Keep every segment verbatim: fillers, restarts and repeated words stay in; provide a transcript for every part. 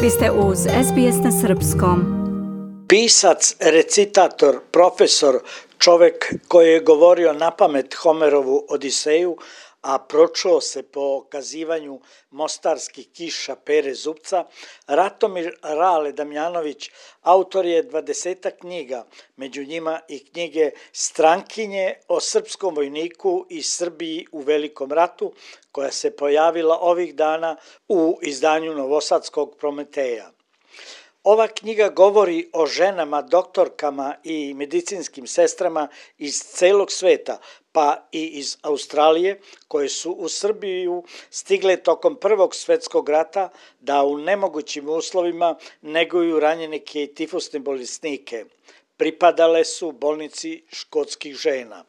Vi ste uz S B S na srpskom. Pisac, recitator, profesor, čovek koji je govorio napamet Homerovu Odiseju, a pročuo se po kazivanju mostarskih kiša Pere Zupca, Ratomir Rale Damjanović autor je dvadesetak knjiga, među njima i knjige Strankinje o srpskom vojniku i Srbiji u Velikom ratu, koja se pojavila ovih dana u izdanju Novosadskog Prometeja. Ova knjiga govori o ženama, doktorkama i medicinskim sestrama iz celog sveta, pa i iz Australije, koje su u Srbiju stigle tokom Prvog svetskog rata da u nemogućim uslovima neguju ranjenike i tifusne bolesnike. Pripadale su bolnici škotskih žena.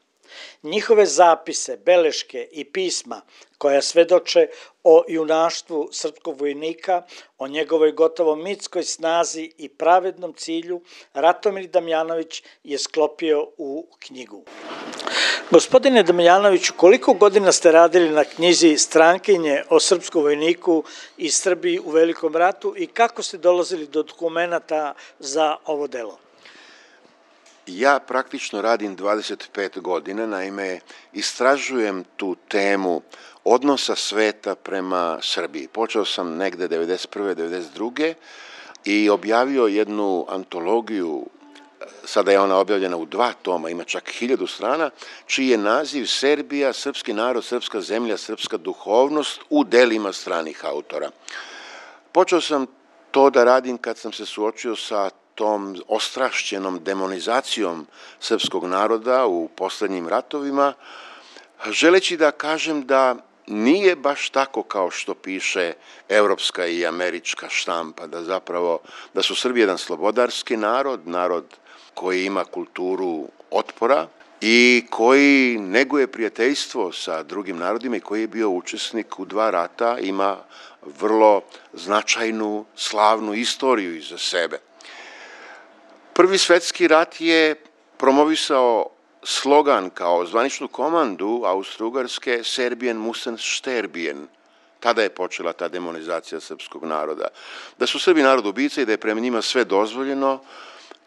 Njihove zapise, beleške i pisma koja svedoče o junaštvu srpskog vojnika, o njegovoj gotovo mitskoj snazi i pravednom cilju, Ratomir Damjanović je sklopio u knjigu. Gospodine Damjanoviću, koliko godina ste radili na knjizi Strankinje o srpskom vojniku i Srbiji u Velikom ratu i kako ste dolazili do dokumenata za ovo delo? Ja praktično radim dvadeset pet godina, naime istražujem tu temu odnosa sveta prema Srbiji. Počeo sam negde devedeset prve devedeset druge i objavio jednu antologiju, sada je ona objavljena u dva toma, ima čak hiljadu strana, čiji je naziv Serbija, srpski narod, srpska zemlja, srpska duhovnost u delima stranih autora. Počeo sam to da radim kad sam se suočio sa tom ostrašćenom demonizacijom srpskog naroda u poslednjim ratovima, želeći da kažem da nije baš tako kao što piše evropska i američka štampa, da zapravo da su Srbi jedan slobodarski narod, narod koji ima kulturu otpora i koji neguje prijateljstvo sa drugim narodima i koji je bio učesnik u dva rata, ima vrlo značajnu, slavnu istoriju iza sebe. Prvi svetski rat je promovisao slogan kao zvaničnu komandu Austro-Ugarske Serbien musen sterben. Tada je počela ta demonizacija srpskog naroda. Da su Srbi narod ubica i da je prema njima sve dozvoljeno,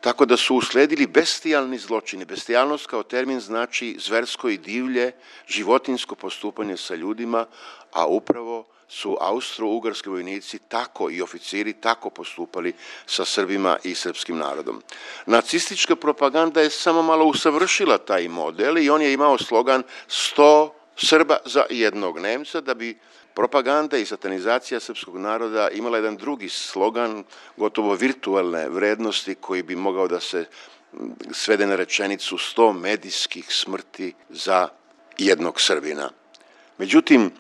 tako da su usledili bestijalni zločini. Bestijalnost kao termin znači zversko i divlje, životinjsko postupanje sa ljudima, a upravo su austro-ugarski vojnici tako i oficiri tako postupali sa Srbima i srpskim narodom. Nacistička propaganda je samo malo usavršila taj model i on je imao slogan sto Srba za jednog Nemca, da bi propaganda i satanizacija srpskog naroda imala jedan drugi slogan, gotovo virtualne vrednosti, koji bi mogao da se svede na rečenicu sto medijskih smrti za jednog Srbina. Međutim,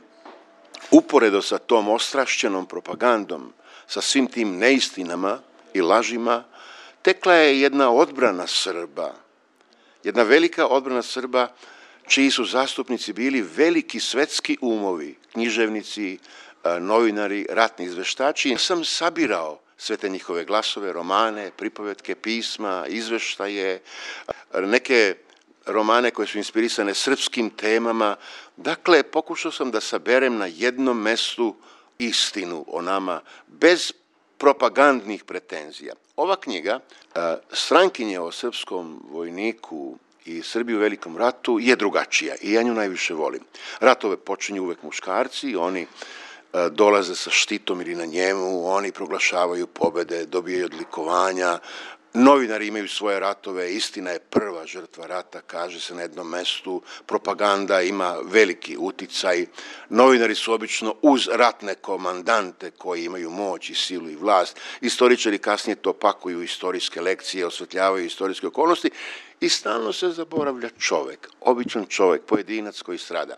uporedo sa tom ostrašćenom propagandom, sa svim tim neistinama i lažima, tekla je jedna odbrana Srba, jedna velika odbrana Srba, čiji su zastupnici bili veliki svetski umovi, književnici, novinari, ratni izveštači. Ja sam sabirao sve te njihove glasove, romane, pripovetke, pisma, izveštaje, neke romane koje su inspirisane srpskim temama. Dakle, pokušao sam da saberem na jednom mestu istinu o nama, bez propagandnih pretenzija. Ova knjiga, Strankinje o srpskom vojniku i Srbiji u Velikom ratu, je drugačija i ja nju najviše volim. Ratove počinju uvek muškarci, oni dolaze sa štitom ili na njemu, oni proglašavaju pobede, dobijaju odlikovanja, novinari imaju svoje ratove, istina je prva žrtva rata, kaže se na jednom mestu, propaganda ima veliki uticaj, novinari su obično uz ratne komandante koji imaju moć i silu i vlast, istoričari kasnije to pakuju u istorijske lekcije, osvetljavaju istorijske okolnosti i stalno se zaboravlja čovek, običan čovek, pojedinac koji strada.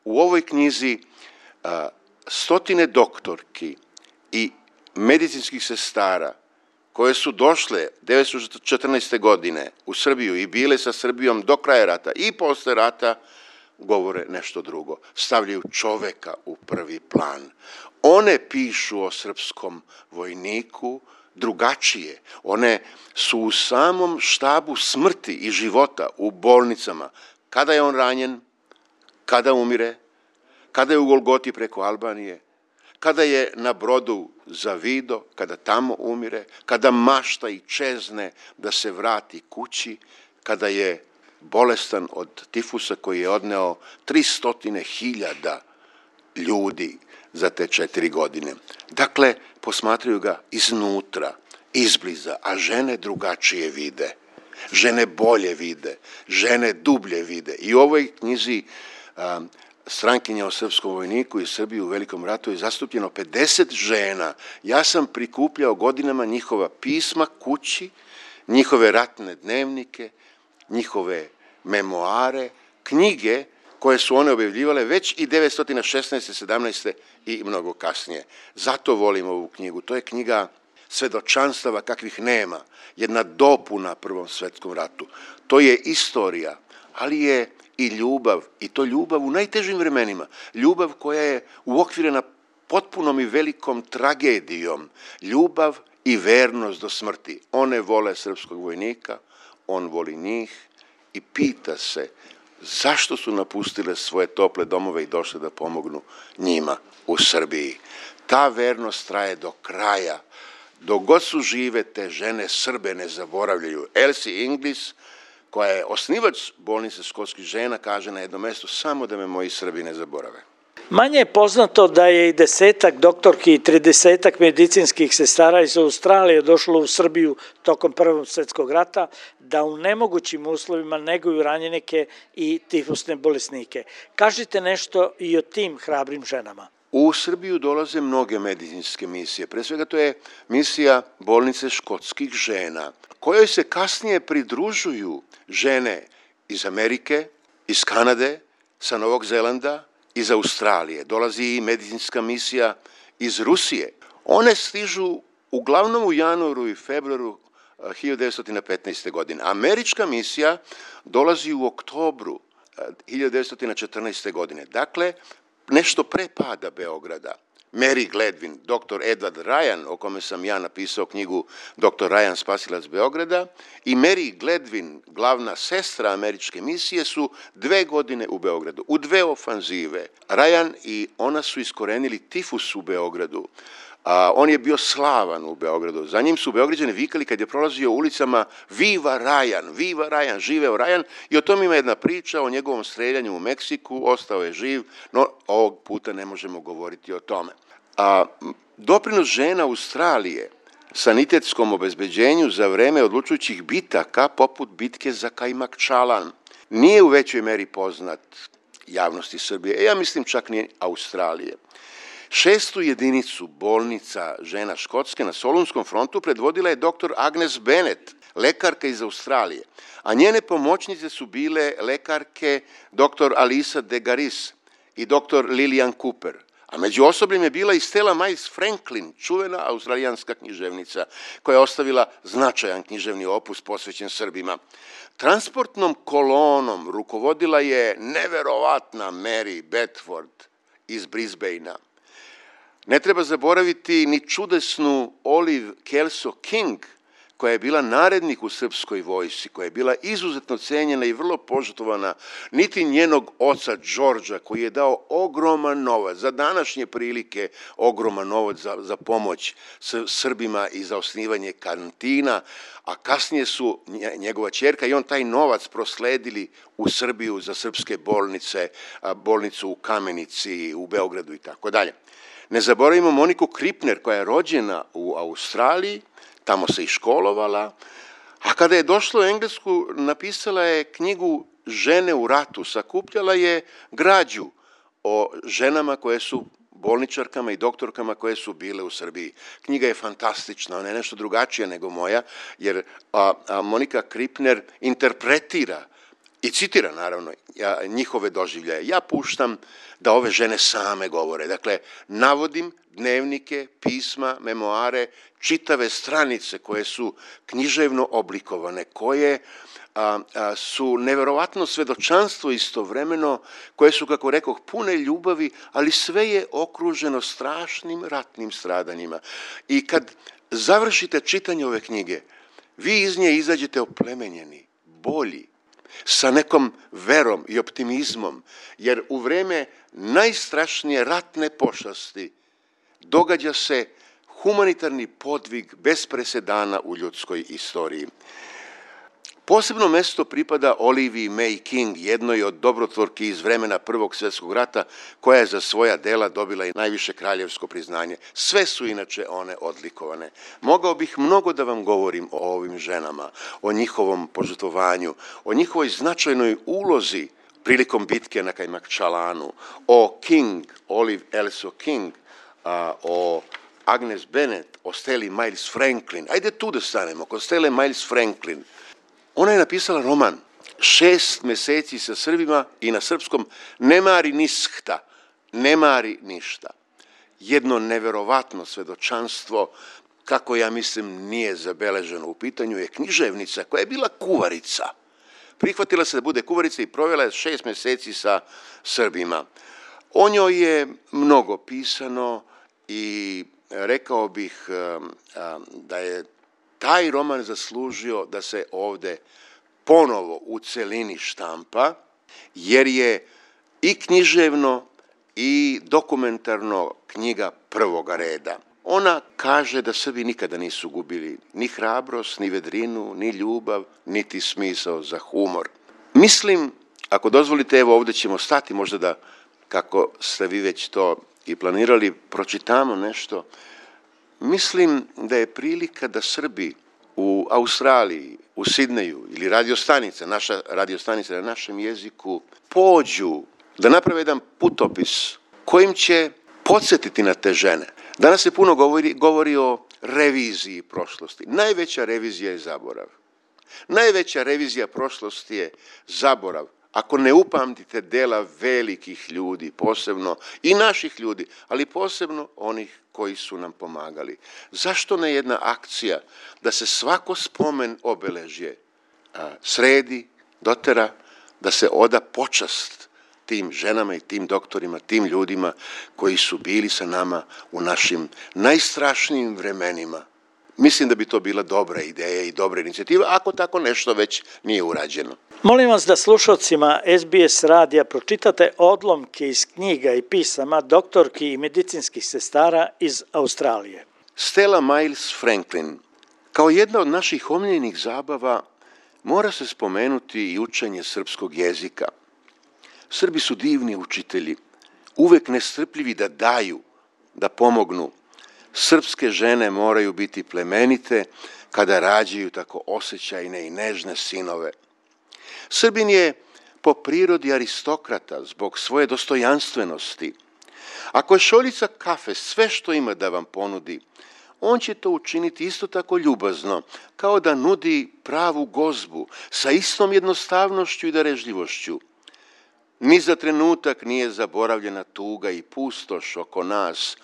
U ovoj knjizi a, stotine doktorki i medicinskih sestara koje su došle devetsto četrnaeste. godine u Srbiju i bile sa Srbijom do kraja rata i posle rata, govore nešto drugo. Stavljaju čoveka u prvi plan. One pišu o srpskom vojniku drugačije. One su u samom štabu smrti i života u bolnicama. Kada je on ranjen, kada umire, kada je u Golgoti preko Albanije, kada je na brodu za Vido, kada tamo umire, kada mašta i čezne da se vrati kući, kada je bolestan od tifusa koji je odneo tristo hiljada ljudi za te četiri godine. Dakle, posmatraju ga iznutra, izbliza, a žene drugačije vide. Žene bolje vide, žene dublje vide. I u ovoj knjizi um, Strankinja o srpskom vojniku i Srbiji u Velikom ratu je zastupljeno pedeset žena. Ja sam prikupljao godinama njihova pisma kući, njihove ratne dnevnike, njihove memoare, knjige koje su one objavljivale već i devetsto šesnaeste. sedamnaeste. i mnogo kasnije. Zato volim ovu knjigu. To je knjiga svedočanstava kakvih nema. Jedna dopuna Prvom svetskom ratu. To je istorija, ali je i ljubav, i to ljubav u najtežim vremenima. Ljubav koja je uokvirena potpunom i velikom tragedijom. Ljubav i vernost do smrti. One vole srpskog vojnika, on voli njih i pita se zašto su napustile svoje tople domove i došle da pomognu njima u Srbiji. Ta vernost traje do kraja. Dok god su žive, te žene Srbe ne zaboravljaju. Elsie Inglis, koja je osnivač bolnice školskih žena, kaže na jednom mestu samo da me moji Srbi ne zaborave. Manje je poznato da je i desetak doktorki i tridesetak medicinskih sestara iz Australije došlo u Srbiju tokom Prvog svjetskog rata, da u nemogućim uslovima neguju ranjenike i tifusne bolesnike. Kažite nešto i o tim hrabrim ženama. U Srbiju dolaze mnoge medicinske misije. Pre svega to je misija bolnice škotskih žena, kojoj se kasnije pridružuju žene iz Amerike, iz Kanade, sa Novog Zelanda, iz Australije. Dolazi i medicinska misija iz Rusije. One stižu uglavnom u januaru i februaru hiljadu devetsto petnaeste. godine. Američka misija dolazi u oktobru hiljadu devetsto četrnaeste. godine. Dakle, nešto pre pada Beograda. Mary Gladwin, doktor Edward Ryan, o kome sam ja napisao knjigu doktor Ryan, spasilac Beograda, i Mary Gladwin, glavna sestra američke misije, su dve godine u Beogradu, u dve ofanzive. Ryan i ona su iskorenili tifus u Beogradu. A, on je bio slavan u Beogradu. Za njim su Beograđani vikali kad je prolazio ulicama Viva Ryan, Viva Ryan, živeo Ryan, i o tom ima jedna priča o njegovom streljanju u Meksiku, ostao je živ, no ovog puta ne možemo govoriti o tome. A, doprinos žena Australije sanitetskom obezbeđenju za vreme odlučujućih bitaka, poput bitke za Kajmakčalan, nije u većoj meri poznat javnosti Srbije, ja mislim čak ni Australije. Šestu jedinicu bolnica žena Škotske na Solunskom frontu predvodila je doktor Agnes Bennett, lekarka iz Australije, a njene pomoćnice su bile lekarke doktor Alisa de Garis i doktor Lillian Cooper, a među osobljem je bila i Stella Miles Franklin, čuvena australijanska književnica, koja je ostavila značajan književni opus posvećen Srbima. Transportnom kolonom rukovodila je neverovatna Mary Bedford iz Brisbanea. Ne treba zaboraviti ni čudesnu Olive Kelso King, koja je bila narednik u srpskoj vojsci, koja je bila izuzetno cenjena i vrlo požrtvovana, niti njenog oca Đorđa, koji je dao ogroman novac, za današnje prilike ogroman novac za, za pomoć Srbima i za osnivanje kantina, a kasnije su njegova ćerka i on taj novac prosledili u Srbiju za srpske bolnice, bolnicu u Kamenici, u Beogradu i tako dalje. Ne zaboravimo Moniku Kripner, koja je rođena u Australiji, tamo se i školovala, a kada je došla u Englesku, napisala je knjigu Žene u ratu, sakupljala je građu o ženama koje su bolničarkama i doktorkama koje su bile u Srbiji. Knjiga je fantastična, ona je nešto drugačija nego moja, jer a, a Monika Kripner interpretira i citira, naravno, njihove doživljaje. Ja puštam da ove žene same govore. Dakle, navodim dnevnike, pisma, memoare, čitave stranice koje su književno oblikovane, koje a, a, su neverovatno svedočanstvo istovremeno, koje su, kako rekoh, pune ljubavi, ali sve je okruženo strašnim ratnim stradanjima. I kad završite čitanje ove knjige, vi iz nje izađete oplemenjeni, bolji, sa nekom verom i optimizmom, jer u vreme najstrašnije ratne pošasti događa se humanitarni podvig bez presedana u ljudskoj istoriji. Posebno mesto pripada Oliviji May King, jednoj od dobrotvorki iz vremena Prvog svjetskog rata, koja je za svoja dela dobila i najviše kraljevsko priznanje. Sve su inače one odlikovane. Mogao bih mnogo da vam govorim o ovim ženama, o njihovom požrtvovanju, o njihovoj značajnoj ulozi prilikom bitke na Kajmakčalanu, o King, Olive Elso King, a, o Agnes Bennett, o Steli Miles Franklin. Ajde tu da stanemo, kod Stele Miles Franklin. Ona je napisala roman Šest meseci sa Srbima i na srpskom Ne mari niskta, ne mari ništa. Jedno neverovatno svedočanstvo, kako ja mislim nije zabeleženo u pitanju, je književnica koja je bila kuvarica. Prihvatila se da bude kuvarica i provela je šest meseci sa Srbima. O njoj je mnogo pisano i rekao bih da je taj roman zaslužio da se ovde ponovo u celini štampa, jer je i književno i dokumentarno knjiga prvoga reda. Ona kaže da Srbi nikada nisu gubili ni hrabrost, ni vedrinu, ni ljubav, niti smisao za humor. Mislim, ako dozvolite, evo ovde ćemo stati, možda da, kako ste vi već to i planirali, pročitamo nešto. Mislim da je prilika da Srbi u Australiji, u Sidneju ili radiostanica, naša radiostanica na našem jeziku, pođu da naprave jedan putopis kojim će podsjetiti na te žene. Danas se puno govori, govori o reviziji prošlosti. Najveća revizija je zaborav. Najveća revizija prošlosti je zaborav. Ako ne upamtite dela velikih ljudi, posebno i naših ljudi, ali posebno onih koji su nam pomagali. Zašto ne jedna akcija da se svako spomen obeležje a, sredi, dotera, da se oda počast tim ženama i tim doktorima, tim ljudima koji su bili sa nama u našim najstrašnijim vremenima. Mislim da bi to bila dobra ideja i dobra inicijativa, ako tako nešto već nije urađeno. Molim vas da slušalcima S B S radija pročitate odlomke iz knjiga i pisama doktorki i medicinskih sestara iz Australije. Stella Miles Franklin. Kao jedna od naših omiljenih zabava mora se spomenuti i učenje srpskog jezika. Srbi su divni učitelji, uvek nestrpljivi da daju, da pomognu. Srpske žene moraju biti plemenite kada rađaju tako osjećajne i nežne sinove. Srbin je po prirodi aristokrata zbog svoje dostojanstvenosti. Ako je šoljica kafe sve što ima da vam ponudi, on će to učiniti isto tako ljubazno, kao da nudi pravu gozbu sa istom jednostavnošću i darežljivošću. Ni za trenutak nije zaboravljena tuga i pustoš oko nas,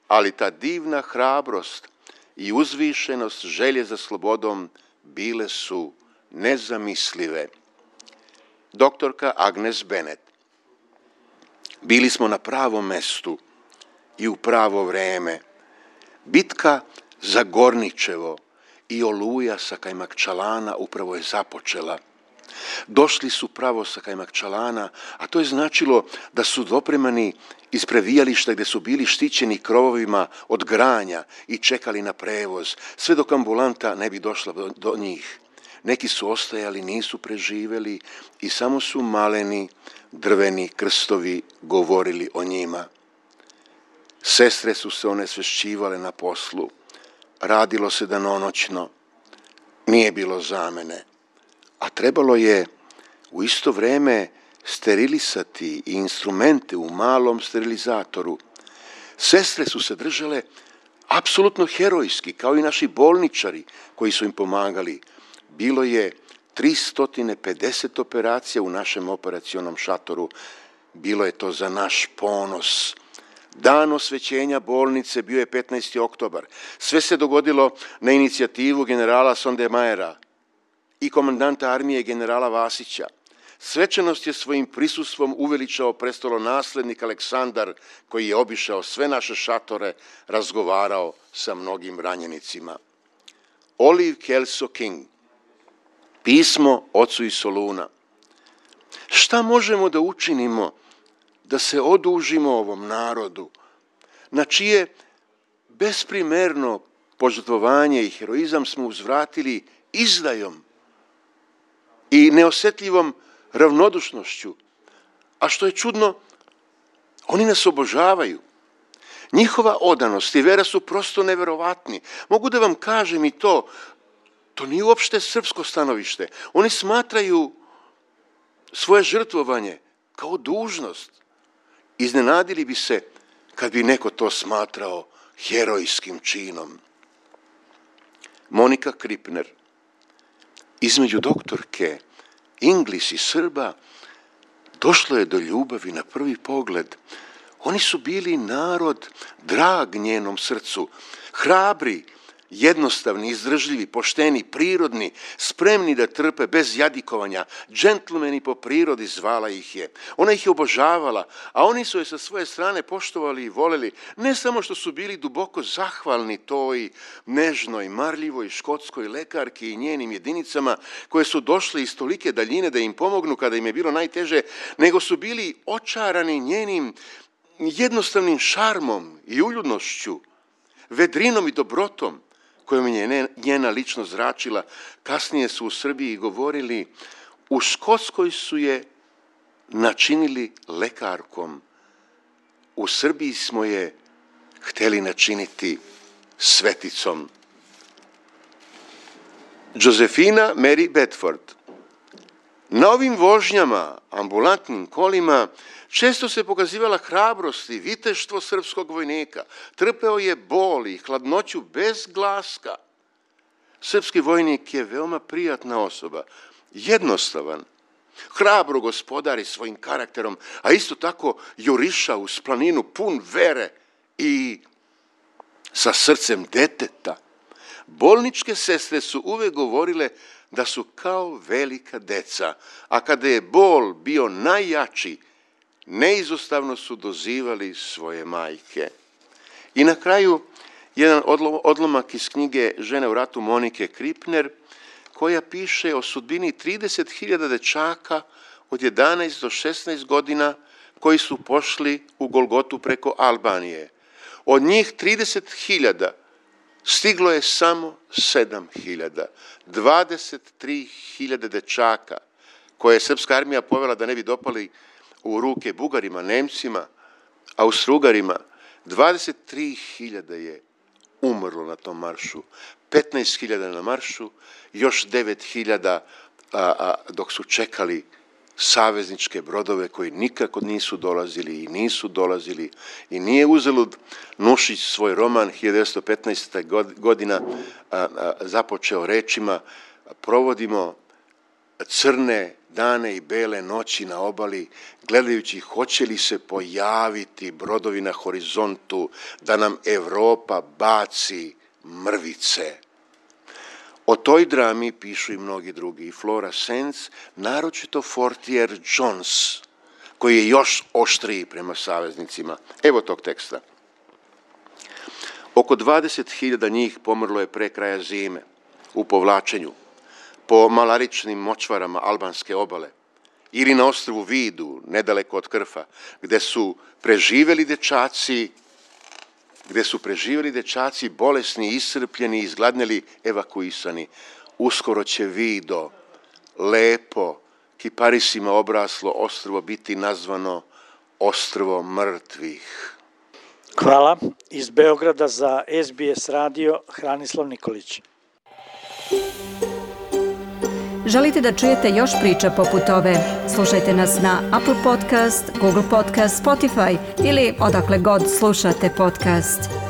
ali ta divna hrabrost i uzvišenost želje za slobodom bile su nezamislive. Doktorka Agnes Bennett. Bili smo na pravom mestu i u pravo vreme. Bitka za Gorničevo i Oluja sa Kajmakčalana upravo je započela. Došli su pravo sa Kajmakčalana, a to je značilo da su dopremani iz previjališta gde su bili štićeni krovovima od granja i čekali na prevoz, sve dok ambulanta ne bi došla do, do njih. Neki su ostajali, nisu preživeli i samo su maleni, drveni krstovi govorili o njima. Sestre su se onesvešćivale na poslu. Radilo se danonoćno. Nije bilo zamene. A trebalo je u isto vreme sterilisati i instrumente u malom sterilizatoru. Sestre su se držale apsolutno herojski, kao i naši bolničari koji su im pomagali. Bilo je tristo pedeset operacija u našem operacionom šatoru. Bilo je to za naš ponos. Dan osvećenja bolnice bio je petnaesti oktobar. Sve se dogodilo na inicijativu generala Sondemajera i komandanta armije generala Vasića. Svečanost je svojim prisustvom uveličao prestolonaslednik Aleksandar, koji je obišao sve naše šatore, razgovarao sa mnogim ranjenicima. Olive Kelso King. Pismo ocu iz Soluna. Šta možemo da učinimo da se odužimo ovom narodu, na čije besprimerno požrtvovanje i heroizam smo uzvratili izdajom i neosjetljivom ravnodušnošću. A što je čudno, oni nas obožavaju. Njihova odanost i vera su prosto neverovatni. Mogu da vam kažem i to, to nije uopšte srpsko stanovište. Oni smatraju svoje žrtvovanje kao dužnost. Iznenadili bi se kad bi neko to smatrao herojskim činom. Monika Kripner, između doktorke Inglis i Srba, došlo je do ljubavi na prvi pogled. Oni su bili narod drag njenom srcu, hrabri, jednostavni, izdržljivi, pošteni, prirodni, spremni da trpe bez jadikovanja, džentlmeni po prirodi zvala ih je. Ona ih je obožavala, a oni su je sa svoje strane poštovali i voleli, ne samo što su bili duboko zahvalni toj nežnoj, marljivoj škotskoj lekarki i njenim jedinicama koje su došle iz tolike daljine da im pomognu kada im je bilo najteže, nego su bili očarani njenim jednostavnim šarmom i uljudnošću, vedrinom i dobrotom kojom je njena ličnost zračila. Kasnije su u Srbiji govorili, u Škotskoj su je načinili lekarkom, u Srbiji smo je hteli načiniti sveticom. Josephina Mary Bedford. Na ovim vožnjama, ambulantnim kolima, često se pokazivala hrabrost i viteštvo srpskog vojnika. Trpeo je bol i hladnoću bez glaska. Srpski vojnik je veoma prijatna osoba, jednostavan, hrabro gospodari svojim karakterom, a isto tako juriša uz planinu pun vere i sa srcem deteta. Bolničke sestre su uvek govorile da su kao velika deca, a kada je bol bio najjači, neizostavno su dozivali svoje majke. I na kraju, jedan odlomak iz knjige Žene u ratu Monike Kripner, koja piše o sudbini trideset hiljada dečaka od jedanaest do šesnaest godina koji su pošli u Golgotu preko Albanije. Od njih trideset hiljada stiglo je samo sedam hiljada. dvadeset tri hiljade dečaka koje je srpska armija povela da ne bi dopali u ruke Bugarima, Nemcima, Austrougarima. dvadeset tri hiljade je umrlo na tom maršu. petnaest hiljada na maršu, još devet hiljada dok su čekali savezničke brodove koji nikako nisu dolazili i nisu dolazili. I nije uzalud Nušić svoj roman hiljadu devetsto petnaeste. godina a, a, započeo rečima: provodimo crne dane i bele noći na obali, gledajući hoće li se pojaviti brodovi na horizontu da nam Evropa baci mrvice. O toj drami pišu i mnogi drugi, i Flora Sands, naročito Fortier Jones, koji je još oštriji prema saveznicima. Evo tog teksta. Oko dvadeset hiljada njih pomrlo je pre kraja zime, u povlačenju, po malaričnim močvarama albanske obale, ili na ostrvu Vidu, nedaleko od Krfa, gde su preživeli dečaci, gde su preživeli dečaci bolesni, iscrpljeni, izgladneli, evakuisani. Uskoro će Vido, lepo, kiparisima obraslo ostrvo biti nazvano ostrvo mrtvih. Hvala. Iz Beograda za S B S radio Hranislav Nikolić. Želite da čujete još priča poput ove? Slušajte nas na Apple Podcast, Google Podcast, Spotify ili odakle god slušate podcast.